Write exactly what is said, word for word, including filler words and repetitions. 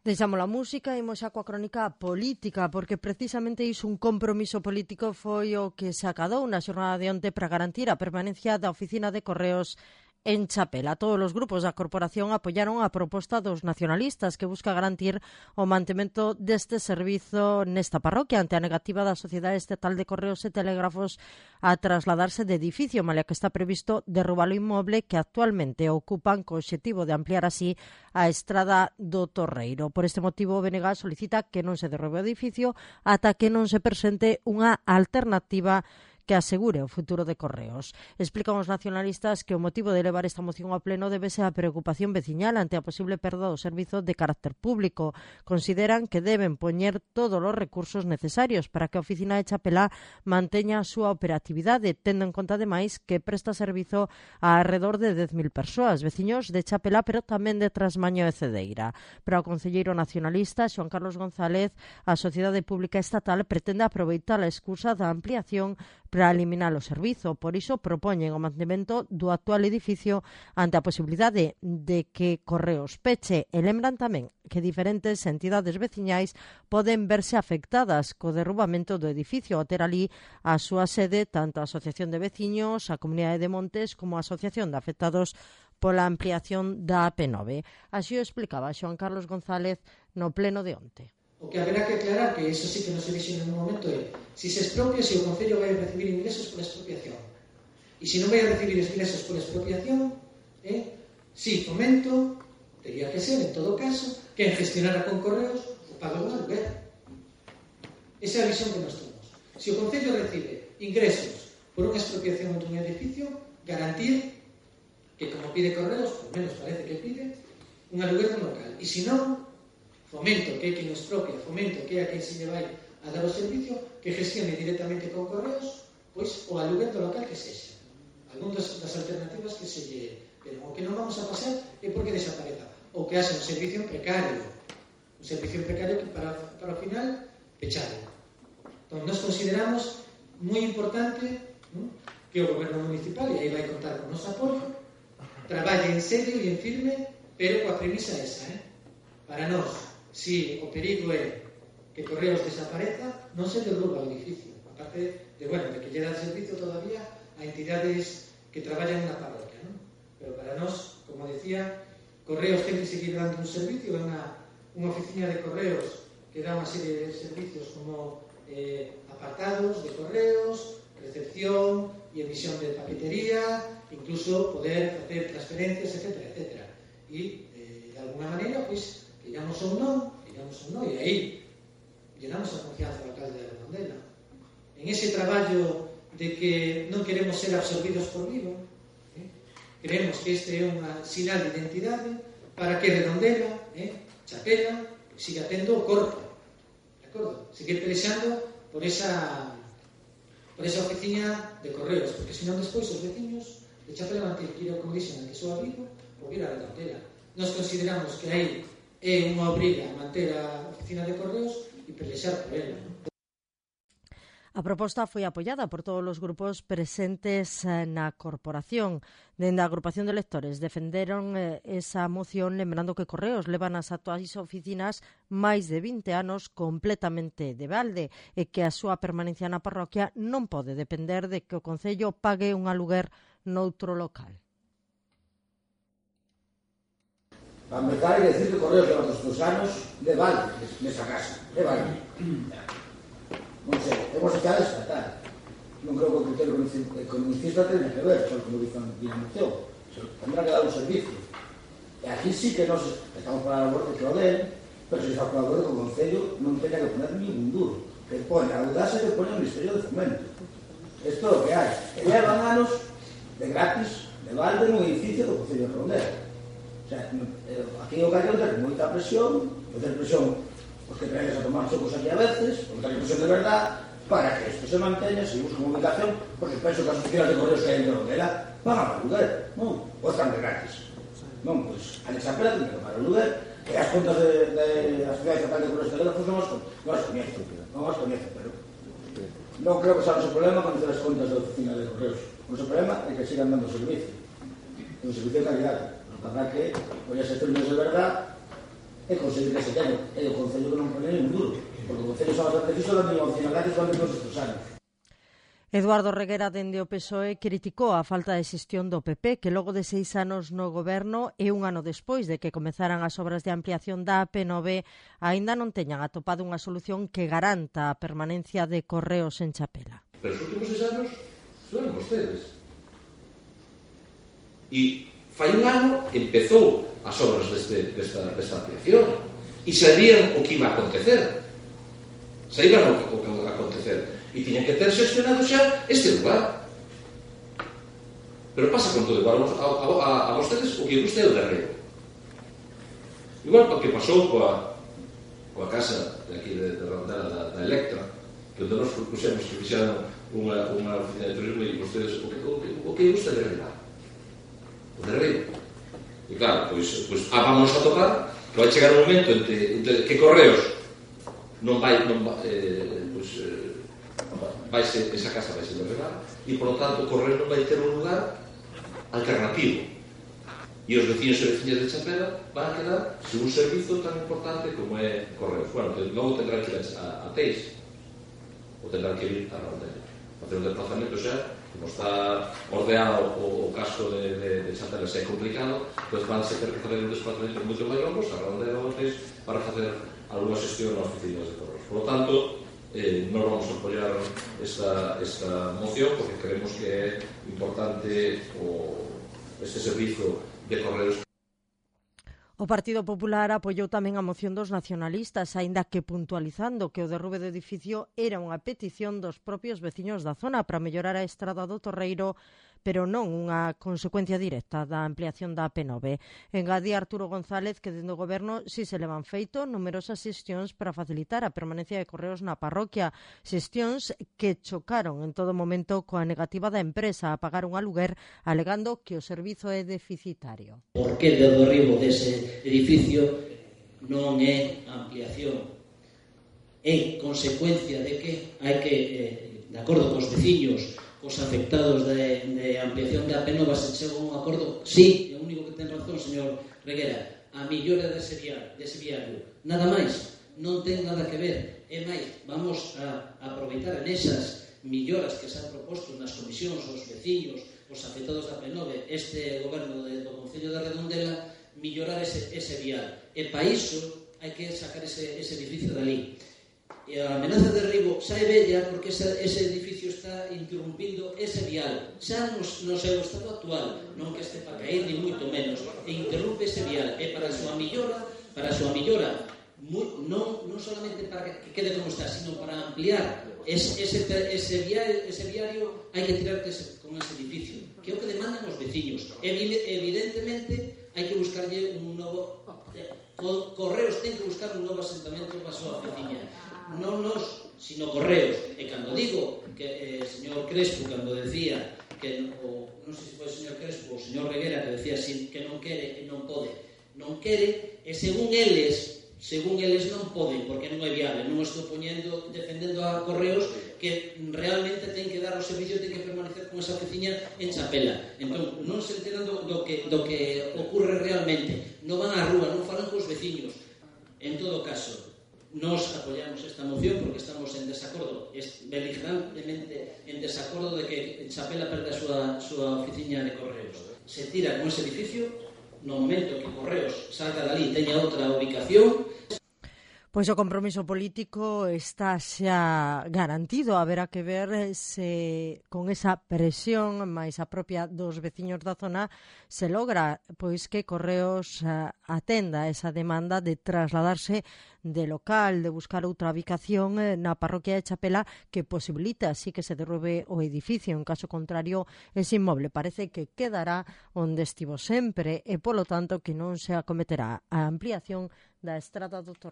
Deixamos a música e imos xa coa crónica política, porque precisamente iso, un compromiso político, foi o que se acadou na xornada de onte para garantir a permanencia da oficina de correos en Chapela. Todos os grupos da corporación apoiaron a proposta dos nacionalistas, que busca garantir o mantemento deste servizo nesta parroquia ante a negativa da Sociedade Estatal de Correos e Telégrafos a trasladarse de edificio, malia que está previsto derrubar o inmoble que actualmente ocupan, co obxectivo de ampliar así a estrada do Torreiro. Por este motivo, o B N G solicita que non se derrube o edificio ata que non se presente unha alternativa que asegure o futuro de Correos. Explican os nacionalistas que o motivo de levar esta moción ao pleno debe ser a preocupación veciñal ante a posible perda do servizo de carácter público. Consideran que deben poñer todos os recursos necesarios para que a oficina de Chapela manteña a súa operatividade, tendo en conta ademais que presta servizo a alrededor de dez mil persoas, veciños de Chapela, pero tamén de Trasmaño e Cedeira. Para o concelleiro nacionalista Xoán Carlos González, a Sociedade Pública Estatal pretende aproveitar a excusa da ampliación para eliminar o servizo. Por iso propoñen o mantemento do actual edificio ante a posibilidade de que Correos peche, e lembran tamén que diferentes entidades veciñais poden verse afectadas co derrubamento do edificio ao ter ali a súa sede tanto a Asociación de Veciños, a Comunidade de Montes como a Asociación de Afectados pola ampliación da A P nove. Así o explicaba Xoán Carlos González no pleno de onte. O que haberá que aclarar, que eso sí que non se dixo en un momento, é se se expropia, se o Concello vai a recibir ingresos por expropiación. E se non vai a recibir ingresos por expropiación, eh, si Fomento, teria que ser, en todo caso, que en gestionar con Correos o pago do aluguer. Esa é a visión que nós temos. Se o Concello recibe ingresos por unha expropiación dun edificio, garantir que, como pide Correos, por menos parece que pide, un aluguer no local. E se non, Fomento, que é quen expropia, Fomento, que é a quen se lle vai a dar o servicio, que gestione directamente con Correos, pois o aluguer do local que sexa. Algún das, das alternativas que se lle... Pero o que non vamos a pasar é porque desapareza. Ou que haxa un servicio precario. Un servicio precario que para, para o final, pechado. Entón, nos consideramos moi importante, ¿no?, que o goberno municipal, e aí vai contar con o noso apoio, traballe en serio e en firme, pero coa premisa esa, eh? Para nós, si o perigo é que Correos desapareza, non se derruba o edificio. Aparte de, bueno, de que lle dan servicio todavía a entidades que traballan na parroquia, ¿no? Pero para nós, como decía, Correos ten que seguir dando un servicio, é unha, unha oficina de Correos que dá unha serie de servicios como eh, apartados de Correos, recepción e emisión de paquetería, incluso poder facer transferencias, etcétera, etcétera. E, eh, de alguna maneira, pois, digamos ou non, digamos ou non, e aí llenamos a confianza do alcalde de Redondela. En ese traballo de que non queremos ser absorbidos por Vigo, eh, creemos que este é unha sinal de identidade para que Redondela, eh, Chapela, siga tendo o corpo, de acordo? Seguir pelexando por esa por esa oficina de Correos, porque senón despois os veciños de Chapela van ter que ir ao Congreso en que soa Vigo ou ir a Redondela. Nos consideramos que aí é unha obriga manter a oficina de Correos e pelexar por ela, non? A proposta foi apoiada por todos os grupos presentes na corporación. Dende a agrupación de lectores defenderon esa moción lembrando que Correos leva nas actuais oficinas máis de vinte anos completamente de balde e que a súa permanencia na parroquia non pode depender de que o Concello pague un aluguer noutro local. Para empezar, hai que decir que Correos leva dos anos de balde nesa casa, de balde. Non sei, temos que descartar. Non creo que o criterio economicista tenha que ver, só como dicen aquí na moción. Tendrá que dar un servicio. E aquí sí que nos estamos para a labor de que o den, pero se está para a labor de que o Concello non tenha que poner ningún duro. Que pone a audacia que pone o Ministerio de Fomento. Isto é o que hai. E levan anos de gratis, de balde, nun edificio do Concello de Redondela. O sea, aquí o Carrión ten moita presión, ten presión os que traes a tomar chocos aquí a veces, porque ten presión de verdad, para que isto se manteña, se busque comunicación, porque penso que as oficinas de Correos que hai en Redondela van a pagar aluguer, non? Ou están de gratis. Non, pois, a Chapela ten que pagar aluguer, que as contas de, de a Sociedade Estatal de Correos e Telégrafos non as, non as coñezo, non as coñezo, pero non creo que sea o noso problema conocer as contas da oficina de Correos. O noso problema é que sigan dando servicio, un servicio de calidad. Habrá que, pois, ser términos de verdad, é conseguir que se teña, é o Concello que non pone un duro, porque o Concello son bastante fixo da mínima opcionalidade que van todos estes anos. Eduardo Reguera, dende o P S O E, criticou a falta de xestión do P P, que logo de seis anos no goberno e un ano despois de que comezaran as obras de ampliación da A P nove, aínda non teñan atopado unha solución que garanta a permanencia de Correos en Chapela. Pero os últimos seis anos fueron vostedes. E fai un ano empezou as obras deste, desta, desta ampliación e sabían o que iba a acontecer. Sabían o que, o que iba a acontecer. E tiñan que ter xestionado xa este lugar. Pero pasa con todo igual a, a, a vostedes o que guste é o derreo. Igual o que pasou coa, coa casa de aquí de, de Rondela da, da Electra, que onde nos propusemos que fixeran unha, unha oficina de turismo e vostedes o que, o que, o que guste é derrear. O derreo. E claro, pois, pois ah, vamos a tocar que vai chegar un momento entre, entre que Correos non vai, non vai eh, pois, eh, vai ser, esa casa vai ser derribada e, por lo tanto, o Correo non vai ter un lugar alternativo e os vecinos e veciñas de Chapela van a quedar sin un servizo tan importante como é Correo. Bueno, que logo tendrán que ir a, a Teix ou tendrán que ir a Rondela facer un desplazamento xa, como está ordeado o, o casco de, de, de Chapela xa é complicado, pois van a ter que fazer un desplazamento moito máis longos a Rondela ou a Teix para facer alguna xestión nas oficinas de Correos. Por lo tanto, Eh, non vamos a apoiar esta, esta moción porque creemos que é importante o, este servizo de Correos. O Partido Popular apoiou tamén a moción dos nacionalistas, aínda que puntualizando que o derrube do edificio era unha petición dos propios veciños da zona para mellorar a estrada do Torreiro, pero non unha consecuencia directa da ampliación da A P nove. Engadía Arturo González que dende o goberno si se levan feito numerosas xestións para facilitar a permanencia de Correos na parroquia, xestións que chocaron en todo momento coa negativa da empresa a pagar un aluguer alegando que o servizo é deficitario. Por que do derribo dese edificio non é ampliación? É consecuencia de que hai que, eh, de acordo cos veciños, os afectados de, de ampliación da A P nove se chega a un acordo, sí, é o único que ten razón, señor Reguera, a millora dese viario, dese viario, nada máis, non ten nada que ver, é máis, vamos a, a aproveitar nesas milloras que se han proposto nas comisións, os veciños, os afectados da A P nove, este goberno de, do Concello de Redondela, millorar ese, ese vial, e para iso hai que sacar ese, ese edificio dali. E a amenaza de derribo xa é bella porque ese, ese edificio está interrumpindo ese vial xa no, no seu estado actual, non que este para caer ni moito menos, e interrumpe ese vial e para a súa millora para a súa millora muy, non, non solamente para que quede como está, sino para ampliar ese, ese, ese, vial, ese viario hai que tirar ese, con ese edificio que é o que demandan os veciños. Evidentemente hai que buscarlle un novo Correos ten que buscar un novo asentamento para a súa veciña, non nos, sino Correos. E cando digo que, eh, señor Crespo, cando decía que, o, non sei se foi o señor Crespo ou o señor Reguera que decía así, que non quere e non pode, non quere, e según eles, según eles non poden, porque non é viable. Non estou poñendo, defendendo a Correos que realmente ten que dar o servicio, ten que permanecer con esa oficina en Chapela. Entón, non se enteran do, do, que, do que ocurre realmente. Non van á rúa, non falan cos veciños. En todo caso, nos apoyamos esta moción porque estamos en desacordo, beligerantemente en desacordo de que Chapela perda a súa, súa oficina de Correos. Se tira con ese edificio, no momento que Correos salga dali e teña outra ubicación. Pois o compromiso político está xa garantido, haberá que ver se con esa presión máis a propia dos veciños da zona se logra pois que Correos atenda esa demanda de trasladarse de local, de buscar outra ubicación na parroquia de Chapela que posibilita así que se derrube o edificio. En caso contrario, ese inmoble parece que quedará onde estivo sempre e, polo tanto, que non se acometerá a ampliación da estrada do Torreiro.